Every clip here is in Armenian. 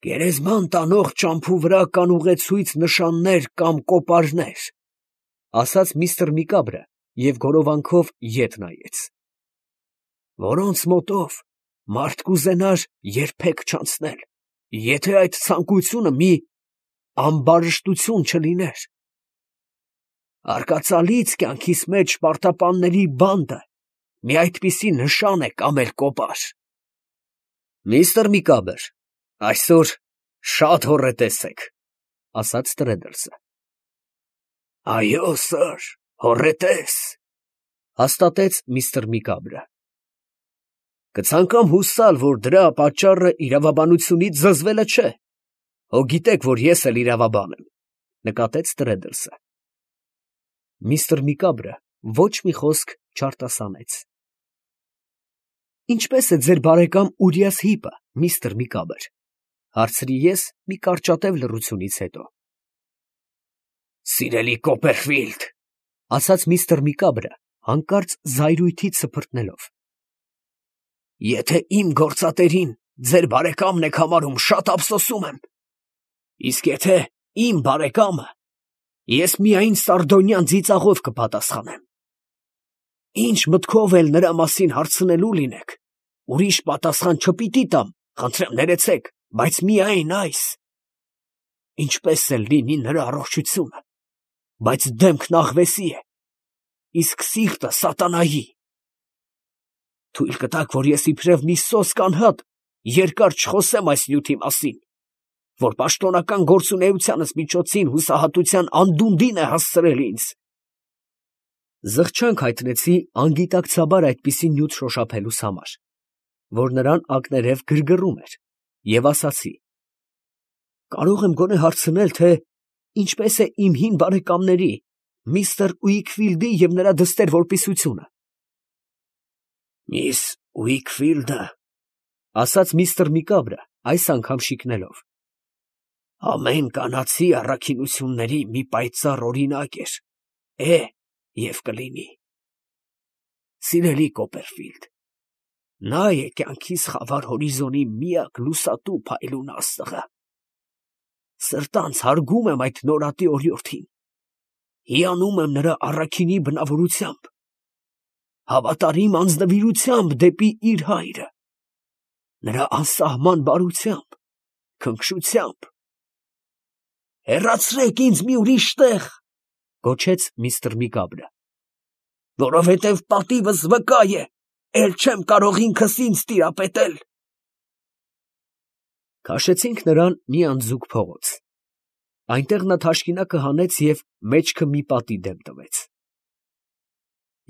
Գերեզման տանող ճամփու վրա կան ուղեցույց նշաններ կամ կոպարներ, ասաց միստր Միկաբրը և գորովանքով ետ նայեց, որոնց մոտով մարդ կուզենար երբեք չանցնել, եթե այդ ցանկությունը մի ամբարշտություն չլիներ. արկածալից կյանքիս մեջ պարտապանների բանդը մի այդպիսի նշան է կամ էլ կոպար։ Միստր Միկաբր, այսօր շատ հոռետես եք, ասաց Տրեդլսը։ Այո, սըր, հոռետես, հաստատեց միստր Միկաբրը։ Կցանկամ հուսալ, որ դրա պատճառը իրավաբանությունից զզվելը չէ։ Հո գիտեք, որ ես էլ իրավաբան եմ, նկատեց Տրեդլսը։ Միստր Միկաբրը ոչ մի խոսք չարտասանեց։ Ինչպե՞ս է ձեր բարեկամ Ուրիաս Հիպը, միստր Միկաբր, հարցրի ես մի կարճատև լռությունից հետո։ Սիրելի Կոպերֆիլդ, ասաց միստր Միկաբրը, հանկարծ զայրույթից սփռտնելով, եթե իմ գործատերին ձեր բարեկամն եք համարում, շատ ափսոսում եմ, իսկ եթե իմ բարեկամը, ես միայն սարդոնյան ծիծաղով կպատասխանեմ։ Ինչ մտքով էլ նրա մասին հարցնելու լինեք, ուրիշ պատասխան չպիտի տամ, խնդրեմ ներեցեք, բայց միայն այս. ինչպես էլ լինի նրա առողջությունը, բայց դեմքն աղվեսի է, իսկ սիրտը սատանայի։ Թույլ կտաք, որ ես իբրև մի սոսկ անհատ երկար չխոսեմ այս նյութի մասին, որ պաշտոնական գործունեությանս միջոցին հուսահատության անդունդին է հասցրել ինձ։ Զղջանք հայտնեցի անգիտակցաբար այդպիսի նյութ շոշափելուս համար, որ նրան ակներև գրգռում էր, և ասացի. կարող եմ գոնե հարցնել, թե ինչպես է իմ հին բարեկամների, միստր Ուիքֆիլդի և նրա դստեր որպիսությունը։ Միս Ուիքֆիլդը, ասաց միստր Միկաբրը, այս անգամ շիկնելով, ամեն կանացի առաքինությունների մի պայծառ օրինակ էր, է և կլինի։ Սիրելի Կոպերֆիլդ, նա է կյանքիս խավար հորիզոնի միակ լուսատու փայլուն աստղը։ Սրտանց հարգում եմ այդ նորատի օրիորդին, հիանում եմ նրա առաքինի բնավորությամբ, հավատարիմ անձնվիրությամբ դեպի իր հայրը, նրա անսահման բարությամբ, քնքշությամբ։ Հեռացրեք ինձ մի ուրիշ տեղ, գոչեց միստր Միկաբրը, որովհետև պատիվս վկա է, էլ չեմ կարող ինքս ինձ տիրապետել։ Քաշեցինք նրան մի անձուկ փողոց։ Այնտեղ նա թաշկինակը հանեց և մեջքը մի պատի դեմ տվեց։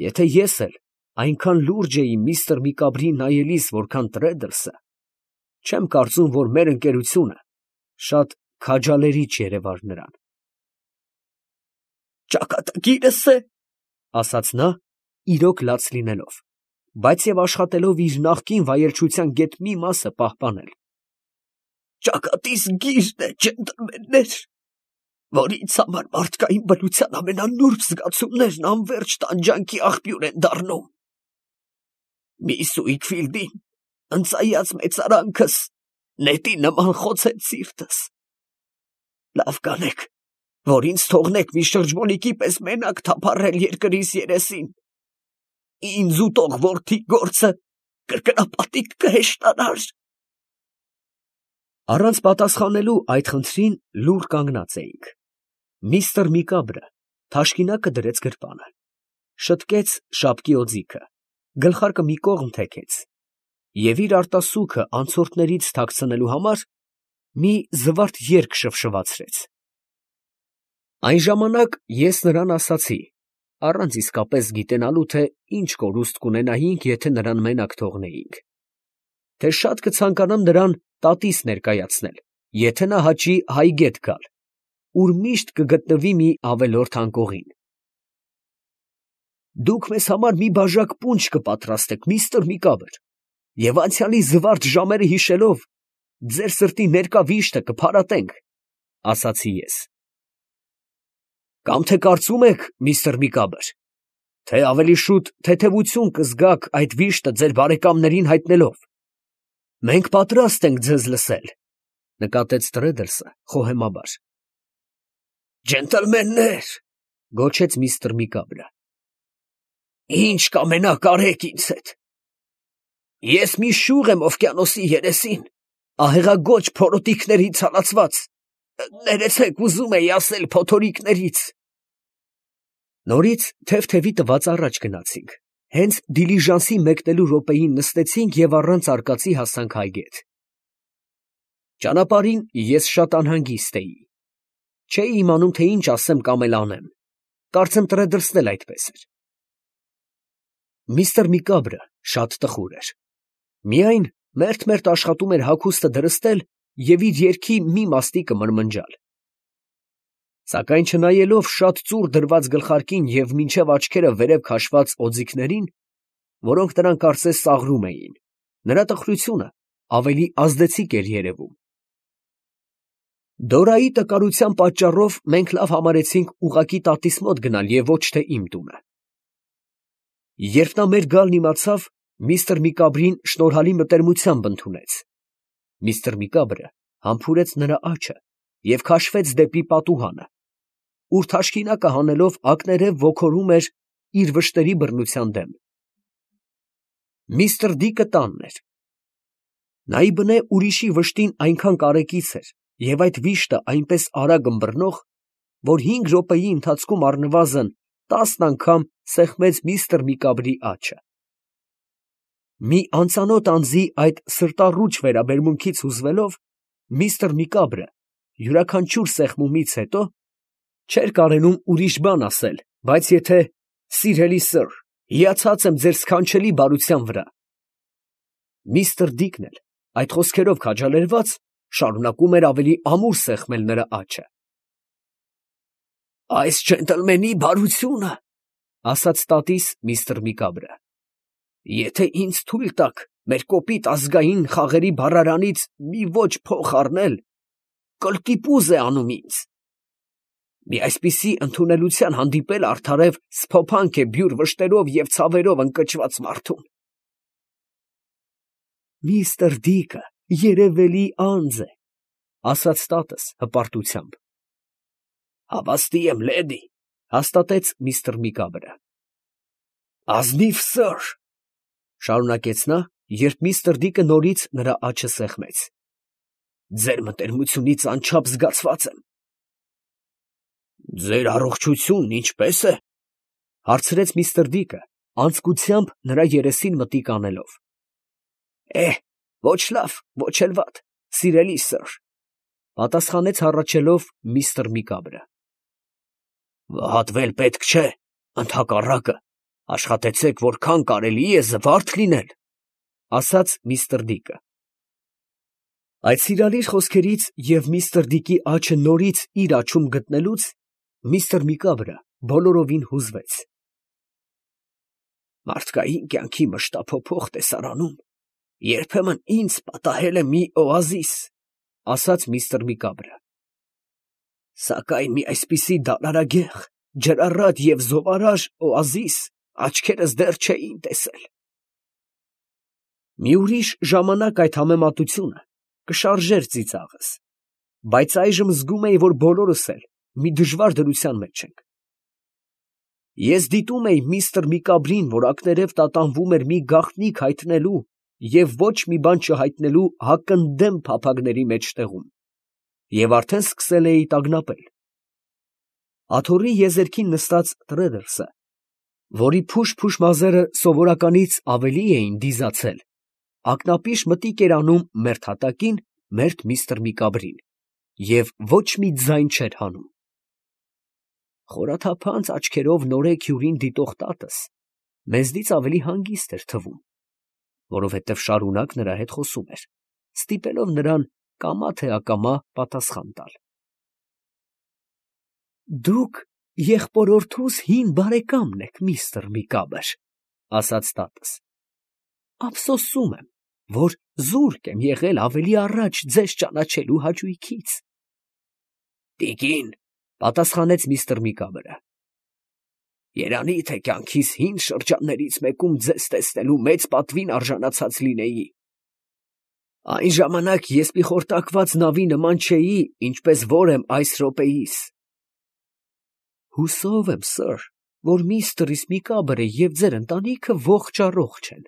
Եթե ես էլ այնքան լուրջ էի միստր Միկաբրին նայելիս, որքան Տրեդլսը, չեմ կարծում, որ մեր ընկերությունը շատ քաջալերիչ երևար նրան։ Ճակատագիրս է, ասաց նա, իրոք լաց լինելով, բայց և աշխատելով իր նախկին վայելչության գեթ մի մասը պահպանել։ Ճակատիս գիրն է, ջենտլմեններ, որ ինձ համար մարդկային բնության ամենանուրբ զգացումներն անվերջ տանջանքի աղբյուր են դառնում։ Միս Ուիքֆիլդին ընծայած մեծարանքս նետի նման խոցեց սիրտս։ Լավ կանեք, որ ինձ թողնեք մի շրջմոլիկի պես մենակ թափառել երկրիս երեսին։ Ինձ ուտող որդի գործը կրկնապատիկ կհեշտանար։ Առանց պատասխանելու այդ խնդրին լուռ կանգնած էինք։ Միստր Միկաբրը թաշկինակը դրեց գրպանը, շտկեց շապկի օձիքը, գլխարկը մի կողմ թեքեց և իր արտասուքը անցորդներից թաքցնելու համար մի զվարթ երգ շվշվացրեց։ Այն ժամանակ ես նրան ասացի, առանց իսկապես գիտենալու, թե ինչ կորուստ կունենայինք, եթե նրան մենակ թողնեինք, թե շատ կցանկանամ նրան տատիս ներկայացնել, եթե նա հաճի Հայգետ գալ, ուր միշտ կգտնվի մի ավելորդ անկողին։ Դուք մեզ համար մի բաժակ պունջ կպատրաստեք, միստր Միկաբր, և անցյալի զվարթ ժամերը հիշելով, ձեր սրտի ներկա վիշտը կփարատենք, ասացի ես։ Կամ թե կարծում եք, միստր Միկաբր, թե ավելի շուտ թեթևություն կզգաք այդ վիշտը ձեր բարեկամներին հայտնելով։ Մենք պատրաստ ենք ձեզ լսել, նկատեց Տրեդլսը խոհեմաբար։ Ջենտլմեններ, գոչեց միստր Միկաբրը, ինչ կամենաք արեք ինձ հետ։ Ես մի շուղ եմ օվկիանոսի երեսին, ահեղագոչ փորոտիքներից հալածված, ներեցեք ուզում էի ասել փոթորիկներից։ Նորից թև-թևի տված առաջ գնացինք, հենց դիլիժանսի մեկնելու րոպեին նստեցինք և առանց արկածի հասանք այգետ։ Ճանապարհին ես շատ անհանգիստ էի, չէի իմանում, թե ինչ ասեմ կամ էլ անեմ, կարծեմ Տրեդլսն էլ այդպես էր։ Միստր Միկաբրը շատ տխուր էր, միայն մերթ-մերթ աշխատում էր հագուստը դրստել և իր երգի մի մաստիկը մրմնջալ։ Սակայն չնայելով շատ ծուռ դրված գլխարկին և մինչև աչքերը վերև քաշված օձիքներին, որոնք նրան կարծես ծաղրում էին, նրա տխրությունը ավելի ազդեցիկ էր երևում։ Դորայի տկարության պատճառով մենք լավ համարեցինք ուղղակի տատիս մոտ գնալ և ոչ թե իմ տունը։ Երբ նա մեր գալն իմացավ, միստր Միկաբրին շնորհալի մտերմությամբ ընդունեց։ Միստր Միկաբրը համբուրեց նրա աջը և քաշվեց դեպի պատուհանը, ուր թաշկինակը հանելով ակներև ոգորում էր իր վշտերի բռնության դեմ։ Միստր Դիկը տանն էր։ Նայիբնե ուրիշի վշտին այնքան կարեկից էր և այդ վիշտը այնպես արագ ըմբռնող, որ 5 րոպեի ընթացքում առնվազն 10 անգամ սեղմեց միստր Միկաբրի աջը։ Մի անծանոթ անձի այդ սրտառուչ վերաբերմունքից հուզվելով, միստր Միկաբրը յուրաքանչյուր սեղմումից հետո չէր կարենում ուրիշ բան ասել, բայց եթե «Սիրելի սըր, հիացած եմ ձեր սքանչելի բարության վրա»։ Միստր Դիկն էլ այդ խոսքերով քաջալերված շարունակում էր ավելի ամուր սեղմել նրա աջը։ «Այս ջենտլմենի բարությունը, ֊ ասաց տատիս միստր Միկաբրը, ֊ եթե ինձ թույլ տաք մեր կոպիտ ազգային խաղերի բառարանից մի ոճ փող առնել, կլկիպուզ է անում ինձ։ Մի այսպիսի ընդունելության հանդիպել արդարև սփոփանք է բյուր վշտերով և ցավերով ընկճված մարդուն»։ Միստր Դիկը երևելի անձ է, ֊ ասաց տատս հպարտությամբ։ Հավաստի եմ, լեդի, ֊ հաստատեց միստր Միկաբրը։ Ազնիվ սըր, ֊ շարունակեց նա, երբ միստր Դիկը նորից նրա աջը սեղմեց, ֊ ձեր մտերմությունից անչափ զգացված եմ։ Ձեր առողջությունն ինչպե՞ս է, ֊ հարցրեց միստր Դիկը, անձկությամբ նրա երեսին մտիկ անելով։ Ոչ լավ, ոչ էլ վատ, սիրելի սըր, ֊ պատասխանեց հառաչելով միստր Միկաբրը։ Վհատվել պետք չէ, ընդհակառակը, աշխատեցեք որքան կարելի է զվարթ լինել, ֊ ասաց միստր Դիկը։ Այդ սիրալիր խոսքերից և միստր Դիկի աջը նորից իր աջում գտնելուց միստր Միկաբրը բոլորովին հուզվեց։ Մարդկային կյանքի մշտափոփող տեսարանում երբեմն ինձ պատահել է մի օազիս, ֊ ասաց միստր Միկաբրը, սակայն մի այսպիսի դալարագեղ, ջրառատ և զովարար օազիս աչքերս դեռ չէին տեսել։ Մի ուրիշ ժամանակ այդ համեմատությունը կշարժեր ծիծաղս, բայց այժմ զգում էի, որ բոլորս էլ մի դժվար դրության մեջ ենք։ Ես դիտում էի միստր Միկաբրին, որ ակներև տատանվում էր մի գաղտնիք հայտնելու և ոչ մի բան չհայտնելու հակընդդեմ փափագների մեջտեղում, և արդեն սկսել էի տագնապել։ Աթոռի եզերքին նստած Տրեդլսը, որի փուշ-փուշ մազերը սովորականից ավելի էին դիզացել, ակնապիշ մտիկ էր անում մերթ հատակին մերթ միստր Միկաբրին և ոչ մի ձայն չէր հանում։ Խորաթափանց աչքերով նորեկ հյուրին դիտող տատս մեզնից ավելի հանգիստ էր թվում, որովհետև շարունակ նրա հետ խոսում էր, ստիպելով նրան կամա թե ակամա պատասխան տալ։ Դուք եղբորորդուս հին բարեկամն եք, միստր Միկաբր, ֊ ասաց տատս։ Ափսոսում եմ, որ զուրկ եմ եղել ավելի առաջ ձեզ ճանաչելու հաճույքից։ Տիկին, ֊ պատասխանեց միստր Միկաբրը, երանի թե կյանքիս հին շրջաններից մեկում ձեզ տեսնելու մեծ պատվին արժանացած լինեի։ Այն ժամանակ ես մի խորտակված նավի նման չէի, ինչպես որ եմ այս րոպեիս։ Հուսով եմ, սըր, որ միստր Միկաբրը և ձեր ընտանիքը ողջ են,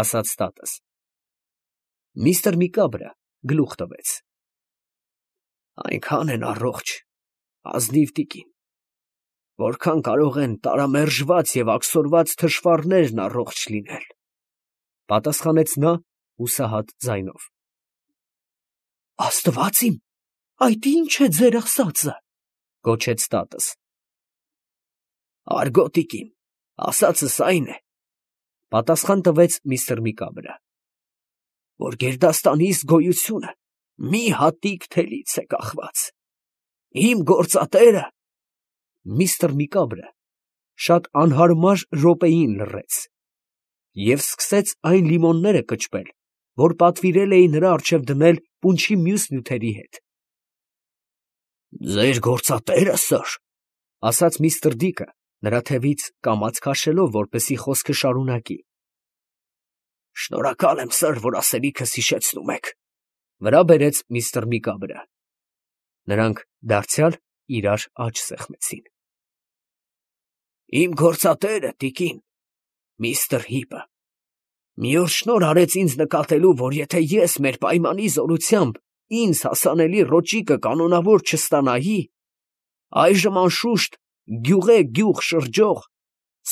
ասաց տատս։ Միստր Միկաբրը գլուխ տվեց. Այնքան են առողջ, ազնիվ տիկին, որքան կարող են տարամերժված և աքսորված թշվառներն առողջ լինել, պատասխանեց նա հուսահատ ձայնով։ Աստված իմ, այդ ի՞նչ է ձեր ասածը, գոչեց տատս։ Արգո տիկին, ասածս այն է, պատասխան տվեց միստր Միկաբրը, որ գերդաստանի գոյությունը մի հատիկ թելից է կախված։ Իմ գործատերը… Միստր Միկաբրը շատ անհարմար րոպեին լռեց և սկսեց այն լիմոնները կճպել, որ պատվիրել էին նրա առջև դնել պունչի մյուս նյութերի հետ։ Ձեր գործատե՞րը, սըր, ասաց միստր Դիկը, նրա թևից կամաց քաշելով, որպեսզի խոսքը շարունակի։ Շնորհակալ եմ, սըր, որ ասելիքս հիշեցնում եք, վրա բերեց միստր Միկաբրը։ Նրանք դարձյալ իրար աջ սեղմեցին։ Իմ գործատերը, տիկին, միստր Հիպը, մի օր շնորհ արեց ինձ նկատելու, որ եթե ես մեր պայմանի զորությամբ ինձ հասանելի ռոճիկը կանոնավոր չստանայի, այժմ անշուշտ գյուղեգյուղ շրջող,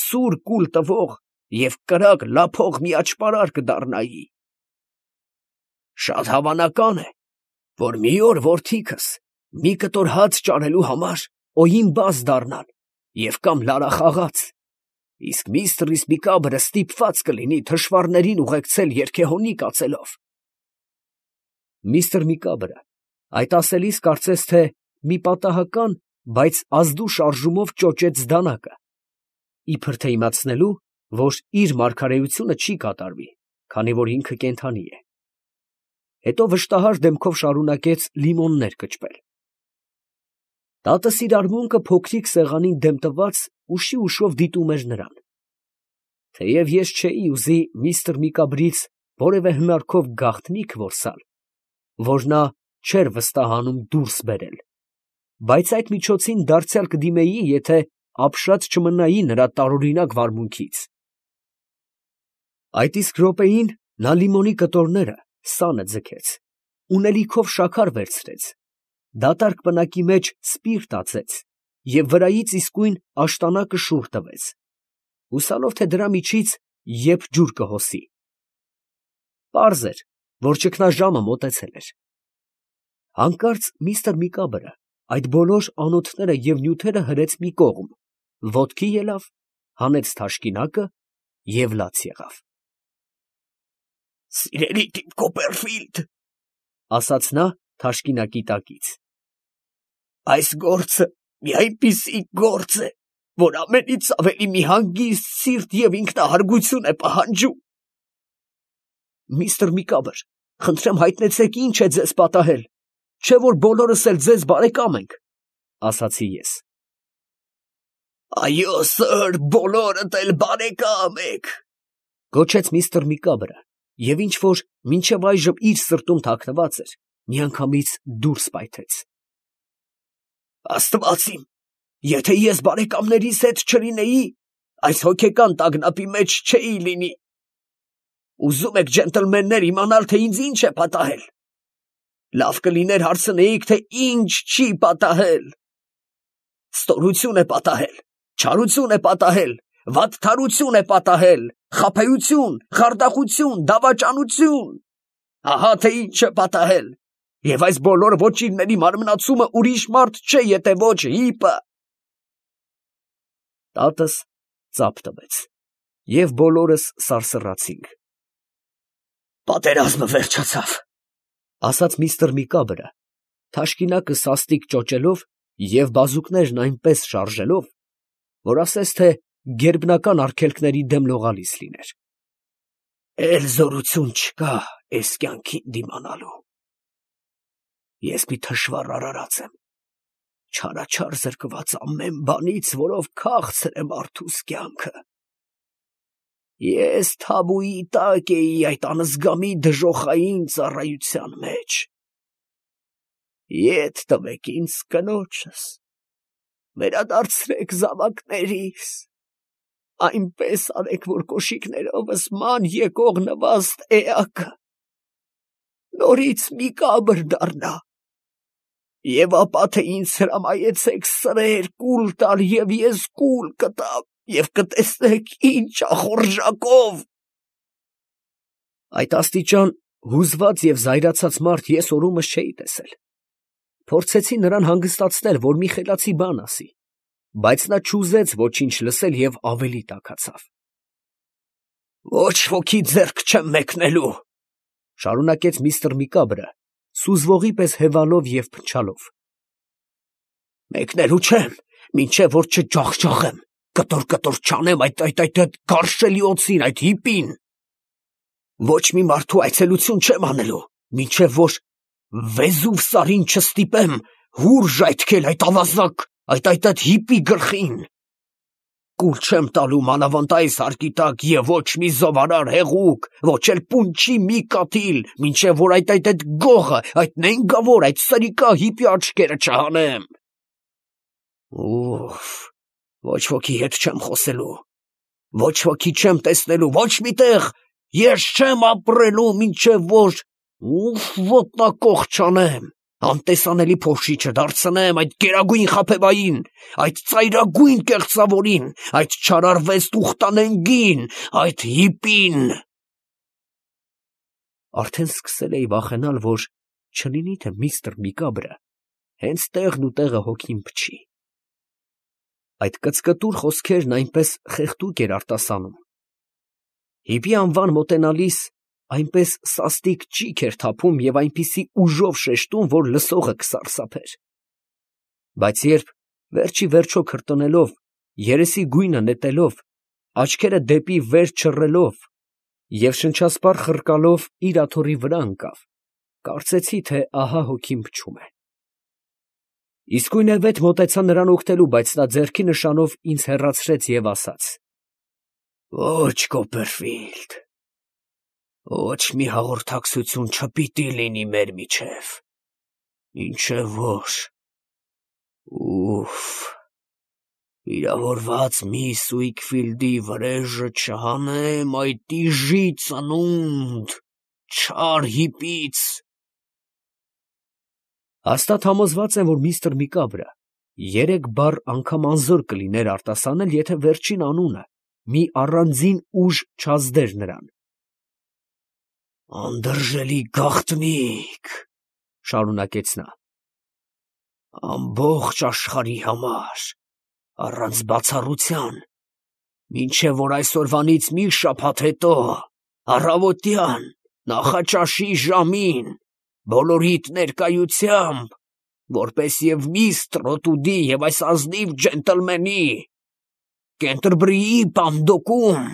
սուր կուլ տվող և կրակ լափող մի աճպարար կդառնայի։ Շատ հավանական է, որ մի օր որդիքս մի կտոր հաց ճարելու համար օյին բազ դառնան և կամ լարախաղաց, իսկ միստր Միկաբրը ստիպված կլինի թշվառներին ուղեկցել երգեհոնի կացելով։ Միստր Միկաբրը այդ ասելիս կարծես թե մի պատահական, բայց ազդու շարժումով ճոճեց դանակը, իբր թե իմացնելու, որ իր մարգարեությունը չի կատարվի, քանի որ ինքը կենդանի է։ Հետո վշտահար դեմքով շարունակեց լիմոններ կճպել։ Տատս իր արմունկը փոքրիկ սեղանին դեմ տված ուշի ուշով դիտում էր նրան։ Թեև ես չէի ուզի միստր Միկաբրից որևէ հնարքով գաղտնիք որսալ, որ նա չէր վստահանում դուրս բերել, բայց այդ միջոցին դարձյալ կդիմեի, եթե ապշած չմնայի նրա տարօրինակ վարմունքից։ Այդ իսկ րոպեին նա լիմոնի կտորները սանը ձգեց, ունելիքով շաքար վերցրեց, դատարկ պնակի մեջ սպիրտ ածեց և վրայից իսկույն աշտանակը շուռ տվեց, հուսալով, թե դրա միջից եփ ջուր կհոսի։ Պարզ էր, որ ճգնաժամը մոտեցել էր։ Հանկարծ միստր Միկաբրը այդ բոլոր անոթները և նյութերը հրեց մի կողմ, ոտքի ելավ, հանեց թաշկինակը և լաց եղավ։ Սիրելի տիկ Կոպերֆիլդ, ասաց նա թաշկինակի տակից, այս գործը մի այնպիսի գործ է, որ ամենից ավելի մի հանգիստ սիրտ և ինքնահարգություն է պահանջում։ Միստր Միկաբր, խնդրեմ հայտնեցեք ինչ է ձեզ պատահել, չէ՞ որ բոլորս էլ ձեզ բարեկամ ենք, ասացի ես։ Այո, սըր, բոլորդ էլ բարեկամ եք, գոչեց միստր Միկաբրը, և ինչ որ մինչև այժմ իր սրտում թաքնված էր, միանգամից դուրս պայթեց։ Աստված իմ, եթե ես բարեկամներիս հետ չլինեի, այս հոգեկան տագնապի մեջ չէի լինի։ Ուզում եք, ջենտլմեններ, իմանալ, թե ինձ ինչ է պատահել։ Լավ կլիներ հարցնեիք, թե ինչ չի պատահել։ Ստորություն է պատահել, չարություն է պատահել, վատթարություն է պատահել, խաբեություն, խարդախություն, դավաճանություն։ Ահա թե ինչ է պատահել, և այս բոլոր ոճիրների մարմնացումը ուրիշ մարդ չէ, եթե ոչ Հիպը։ Տատս ծափ տվեց, և բոլորս սարսռացինք։ Պատերազմը վերջացավ, ասաց միստր Միկաբրը, թաշկինակը սաստիկ ճոճելով և բազուկներն այնպես շարժելով, որ ասես թե գերբնական արգելքների դեմ լողալիս լիներ։ Էլ զորություն չկա էս կյանքին դիմանալու։ Ես մի թշվառ արարած եմ, չարաչար զրկված ամեն բանից, որով քաղցր է մարդուս կյանքը։ Ես թաբուի տակ էի այդ անզգամի դժոխային ծառայության մեջ։ Ետ տվեք ինձ կնոջս, վերադարձրեք զավակներիս, այնպես արեք, որ կոշիկներովս ման եկող նվաստ էակը նորից մի կաբր դառնա, և ապա թե ինձ հրամայեցեք սրեր կուլ տալ, և ես կուլ կտամ, և կտեսնեք ինչ ախորժակով։ Այդ աստիճան հուզված և զայրացած մարդ ես օրումս չէի տեսել։ Փորձեցի նրան հանգստացնել, որ մի խելացի բան ասի, բայց նա չուզեց ոչինչ լսել և ավելի տաքացավ։ «Ոչ ոքի ձեռք չեմ մեկնելու», ֊ շարունակեց միստր Միկաբրը, սուզվողի պես հևալով և փնչալով. «մեկնելու չեմ, մինչև որ չջախջախեմ, կտոր չանեմ այդ գարշելի օձին, այդ հիպին։ Ոչ մի մարդու այցելություն չեմ անելու, մինչև որ Վեզուվ սարին չստիպեմ հուր ժայթքել այդ ավազակ, այդ հիպի գլխին։ Կուլ չեմ տալու մանավանդ այս հարկի տակ և ոչ մի զովարար հեղուկ, ոչ էլ պունչի մի կաթիլ, մինչև որ այդ գողը, այդ նենգավոր, այդ սրիկա հիպի աչքերը չհանեմ։ Ուֆ, ոչ ոքի հետ չեմ խոսելու, ոչ ոքի չեմ տեսնելու, ոչ մի տեղ ես չեմ ապրելու, մինչև որ ոտնակոխ չանեմ, անտեսանելի փոշի չդարձնեմ այդ գերագույն խաբեբային, այդ ծայրագույն կեղծավորին, այդ չարարվեց տուղտանենգին, այդ հիպին։ Արդեն սկսել էի վախենալ, որ չլինի թե միստր Միկաբրը հենց տեղն ու տեղը հոգին փչի։ Այդ կծկտուր խոսքերն այնպես խեղդուկ էր արտասանում։ Հիպի անվան մոտենալիս այնպես սաստիկ ճիգ էր թափում և այնպիսի ուժով շեշտում, որ լսողը կսարսափեր։ Բայց երբ վերջ ի վերջո քրտնելով, երեսի գույնը նետելով, աչքերը դեպի վեր չռելով և շնչասպառ խռկալով իր աթոռի վրա ընկավ, կարծեցի, թե ահա հոգին փչում է։ Իսկույնևեթ մոտեցա նրան օգնելու, բայց նա ձեռքի նշանով ինձ հեռացրեց և ասաց. «Ոչ, Կոպերֆիլդ, ոչ մի հաղորդակցություն չպիտի լինի մեր միջև, մինչև որ… Ուֆ… վիրավորված միս Ուիքֆիլդի վրեժը չհանեմ այդ իժի ծնունդ, չար հիպից»։ Հաստատ համոզված եմ, որ միստր Միկաբրը 3 բառ անգամ անզոր կլիներ արտասանել, եթե վերջին անունը մի առանձին ուժ չազդեր նրան։ «Անդրժելի գաղտնիք, ֊ շարունակեց նա, ֊ ամբողջ աշխարհի համար, առանց բացառության, մինչև որ այսօրվանից մի շաբաթ հետո, առավոտյան, նախաճաշի ժամին, բոլորիդ ներկայությամբ, որպես և միս Տրոտուդի և այս ազնիվ ջենտլմենի, Կենտերբրիի պանդոկում,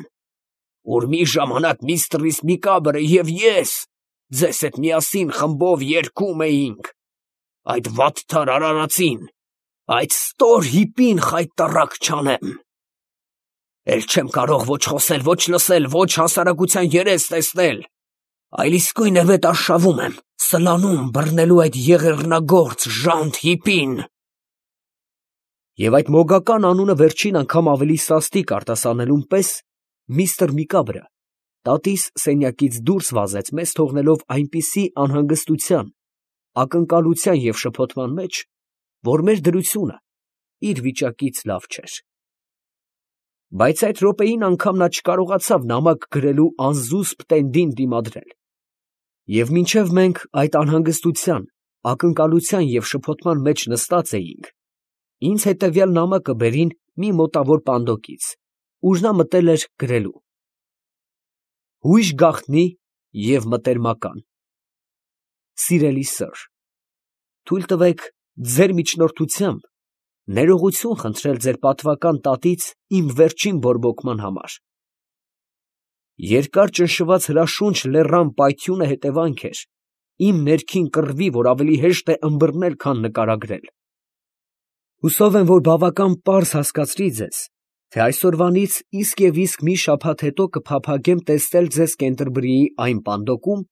ուր մի ժամանակ միստր Միկաբրը և ես ձեզ հետ միասին խմբով երգում էինք, այդ վատթար արարածին, այդ ստոր հիպին խայտառակ չանեմ։ Էլ չեմ կարող ոչ խոսել, ոչ լսել, ոչ հասարակության երես տեսնել, այլ իսկույնևեթ արշավում եմ, սլանում բռնելու այդ եղեռնագործ ժանտ հիպին։ Եվ այդ մոգական անունը վերջին անգամ ավելի սաստիկ արտասանելուն պես միստր Միկաբրը տատիս սենյակից դուրս վազեց, մեզ թողնելով այնպիսի անհանգստության, ակնկալության և շփոթման մեջ, որ մեր դրությունը իր վիճակից լավ չէր։ Բայց այդ րոպեին անգամ նա չկարողացավ նամակ գրելու անզուսպ տենդին դիմադրել, և մինչև մենք այդ անհանգստության, ակնկալության և շփոթման մեջ նստած էինք, ինձ հետևյալ նամակը բերին մի մոտավոր պանդոկից, ուր նա մտել էր գրելու. Հույժ գաղտնի և մտերմական Սիրելի սըր, թույլ տվեք ձեր միջնորդությամբ ներողություն խնդրել ձեր պատվական տատից իմ վերջին բորբոքման համար։ Երկար ճնշված հրաշունչ լեռան պայթյունը հետևանք էր իմ ներքին կռվի, որ ավելի հեշտ է ըմբռնել, քան նկարագրել։ Հուսով եմ, որ բավական պարզ հասկացրի ձեզ, թե այսօրվանից իսկ և իսկ մի շաբաթ հետո կփափագեմ տեսնել ձեզ Կենտերբրիի այն պանդոկում,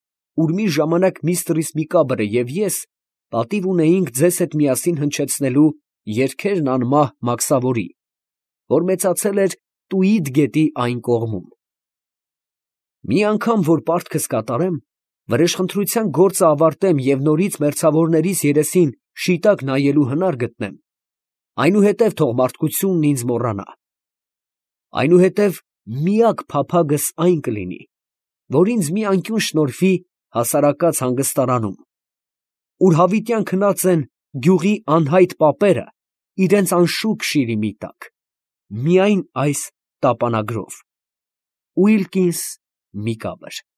ուր մի ժամանակ միստրիս Միկաբրը և ես պատիվ ունեինք ձեզ հետ միասին հնչեցնելու երգերն անմահ Մաքսավորի, որ մեծացել էր Տուիդ գետի այն կողմում։ Մի անգամ որ պարտքս կատարեմ, վրեժխնդրության գործը ավարտեմ և նորից մերձավորներիս երեսին շիտակ նայելու հնար գտնեմ, այնուհետև թող մարդկությունն ինձ մոռանա, այնուհետև միակ փափագս այն կլինի, որ ինձ մի անկյուն շնորհվի հասարակած հանգստարանում, ուր հավիտյան քնած են գյուղի անհայտ պապերը իրենց անշուք շիրիմի տակ, միայն այս տապանագրով. Ուիլկինս Միկաբր։